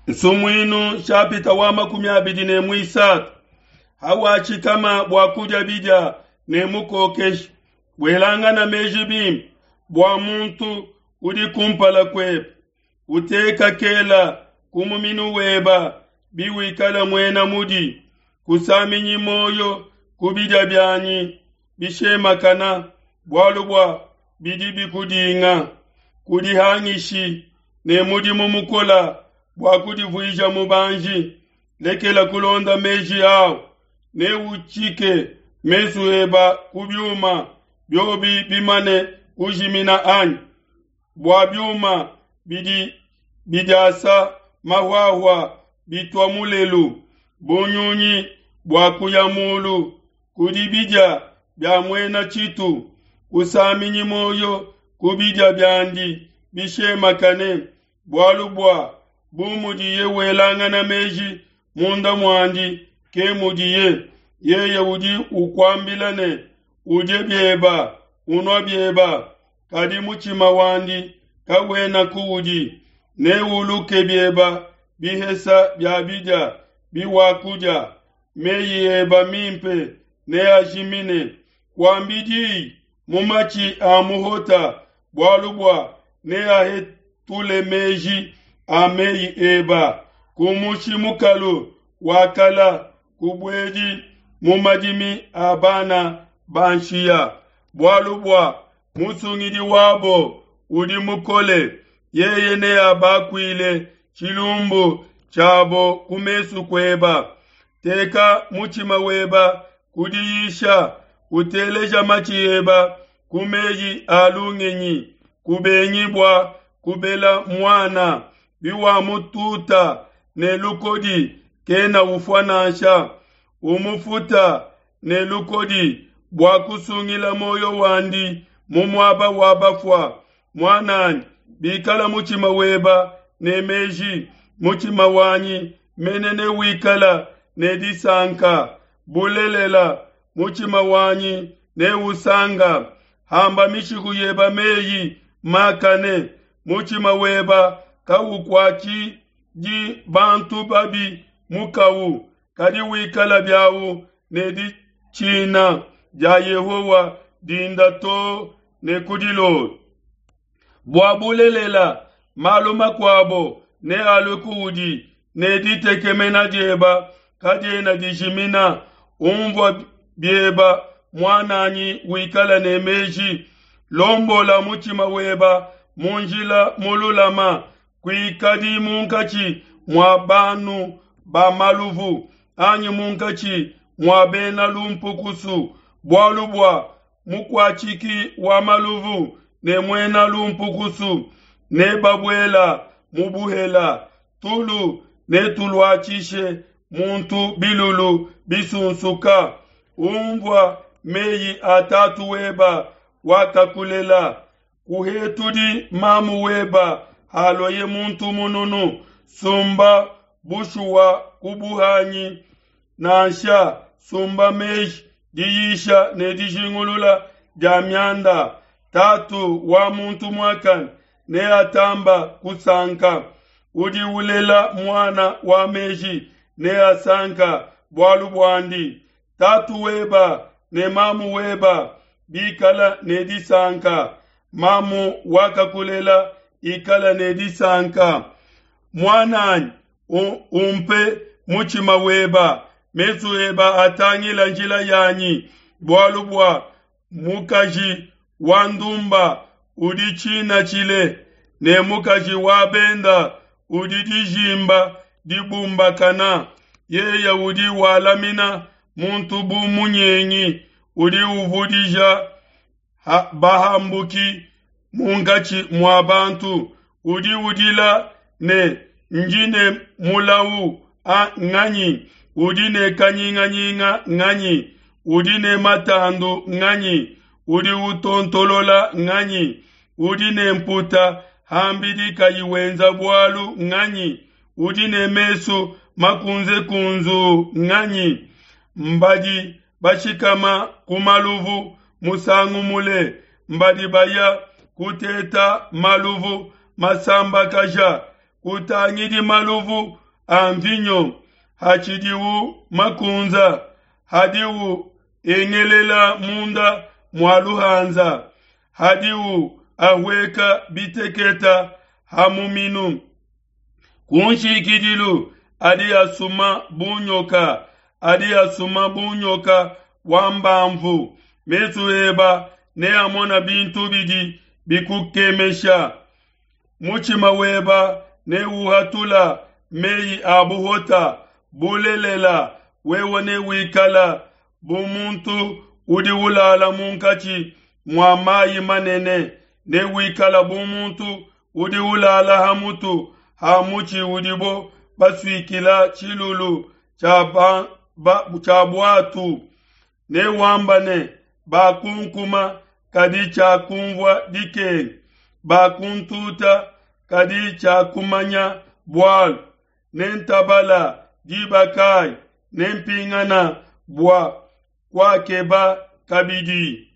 Nsumuinu nshapita wa 23. Hawatshikama bua kudia bidia ne mukokeshi, welangana meji bimpe bua muntu udi kumpala kuebe. Uteka kela ku muminu weba biwikala muena mudi. Kusaminyi muoyo ku bidia bianyi bishemakana, bualu bua bidi bikudinga. Kudihangishi ne mudimu mukola bua kudivuija mubanji. Lekela kulonda meji au, neutshike mesu eba ku biuma, biobi bimane kujimina anyi? Bua biuma bidi bidiasa mahuahua bitua mulelu, bu nyunyi bua kuya mulu, kudi bidia bia muena tshitu. Kusaminyi muoyo ku bidia biandi bishemakane, bualu bua bu mudiye welangana meji munda muandi, ke mudiye. Yeye udi ukuambila ne, Udie bieba, unua bieba, kadi mutshima wandi kawena kuudi. Neuluke bieba bihesa bia bidia biwakudia, meyi eba mimpe neajimine. Kuambi diyi mu matshi a muhota, bualu bua neahetule meji a meyi eba. Kumushi mukalu wa kala, kubuedi mu madimi a bana ba nshiya, bualu bua musungidi wabo udi mukole, yeye neabakuile tshilumbu tshiabo ku mesu kueba. Teka mutshima weba ku diyisha, uteleja matshi eba ku meyi a lungenyi. Kubengi bua kubela muana, biwamututa ne lukodi, kena ufua nansha. Umufuta ne lukodi bua kusungila muoyo wandi mu muaba wa bafua. Muananyi, bikala mutshima weba ne meji, mutshima wanyi mene newikala ne disanka. Bulelela, mutshima wanyi neusanga. Hamba mishiku yeba meyi makane, mutshima weba kawukuatshidi bantu babi mukawu, kadi wikala biawu ne ditshina dia Yehowa dinda too ne ku dilolo. Bua bulelela, malu makuabo nealue kuudi, ne ditekemena dieba kadiena dijimina. Umvua bieba, muananyi, wikala ne meji. Lombola mutshima weba mu njila mululama. Kuikadi munkatshi mua banu ba maluvu, anyi munkatshi mua bena lumpukusu, bualu bua mukuatshiki wa maluvu ne muena lumpukusu nebabuela mu buhela. Tulu netuluatshishe muntu bilulu bisunsuka. Umvua meyi a tatu weba wakakulela, kuhetudi mamu weba haluaye muntu mununu. Sumba bushuwa ku buhanyi, nansha sumba meji, diyisha ne dijingulula dia mianda. Tatu wa muntu muakane neatamba kusanka, udi ulela muana wa meji neasanka bualu buandi. Tatu weba ne mamu weba bikala ne disanka, mamu wakakulela ikala ne disanka. Muananyi, umpe mutshima weba, mesu eba atangila njila yanyi, bualu bua mukaji wa ndumba udi tshina tshile, ne mukaji wa benda udi dijimba dibumbakana. Yeye udi walamina muntu bu munyengi, udi uvudija bahambuki munkatshi mua bantu. Udi udila ne, Ndi ne mulawu a nganyi? Udi ne kanyinganyinga nganyi? Udi ne matandu nganyi? Udi utontolola nganyi? Udi ne mputa hambidi kayi wenza bualu nganyi? Udi ne mesu makunzekunzuu nganyi? Mbadi bashikama ku maluvu musangu mule, mbadi baya kuteta maluvu masambakaja. Kutangidi maluvu a mvinyo hatshidiwu makunza, hadiwu engelela munda mua luhanza, hadiwu ahueka biteketa ha muminu. Ku nshikidilu adi asuma bu nyoka, adi asuma bu nyoka wa mbamvu. Mesu eba neamona bintu bidi bikukemesha. Mutshima weba neuhatula meyi a buhota. Bulelela, wewe newikala bu muntu udi ulala munkatshi mua mayi manene, newikala bu muntu udi ulala ha mutu ha mutshi udibo basuikila tshilulu tshia buatu. Newamba ne, Bakunkuma, kadi tshiakumvua dikenga, bakuntuta, kadi tshiakumanya bualu. Nentabala diba kayi? Nempingana bua kuakeba kabidi.